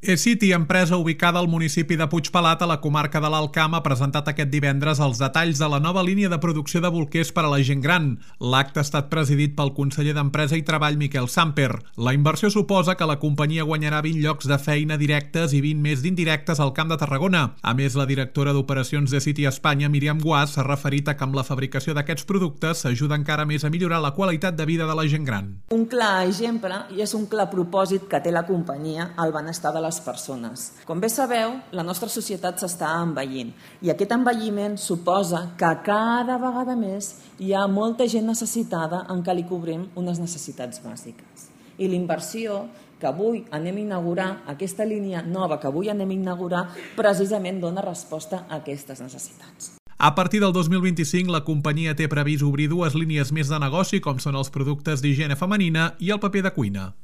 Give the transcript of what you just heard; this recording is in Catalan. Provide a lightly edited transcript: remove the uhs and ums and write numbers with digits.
eCity, empresa ubicada al municipi de Puigpelat, a la comarca de l'Alt Camp, ha presentat aquest divendres els detalls de la nova línia de producció de bolquers per a la gent gran. L'acte ha estat presidit pel conseller d'Empresa i Treball, Miquel Samper. La inversió suposa que la companyia guanyarà 20 llocs de feina directes i 20 més d'indirectes al Camp de Tarragona. A més, la directora d'operacions d'eCity Espanya, Míriam Guàs, s'ha referit a que amb la fabricació d'aquests productes s'ajuda encara més a millorar la qualitat de vida de la gent gran. Un clar exemple i és un clar propòsit que té la companyia al benestar de les persones. Com bé sabeu, la nostra societat s'està envellint i aquest envelliment suposa que cada vegada més hi ha molta gent necessitada en què li cobrim unes necessitats bàsiques. I l'inversió que avui anem a inaugurar, aquesta línia nova que avui anem a inaugurar, precisament dona resposta a aquestes necessitats. A partir del 2025, la companyia té previst obrir dues línies més de negoci, com són els productes d'higiene femenina i el paper de cuina.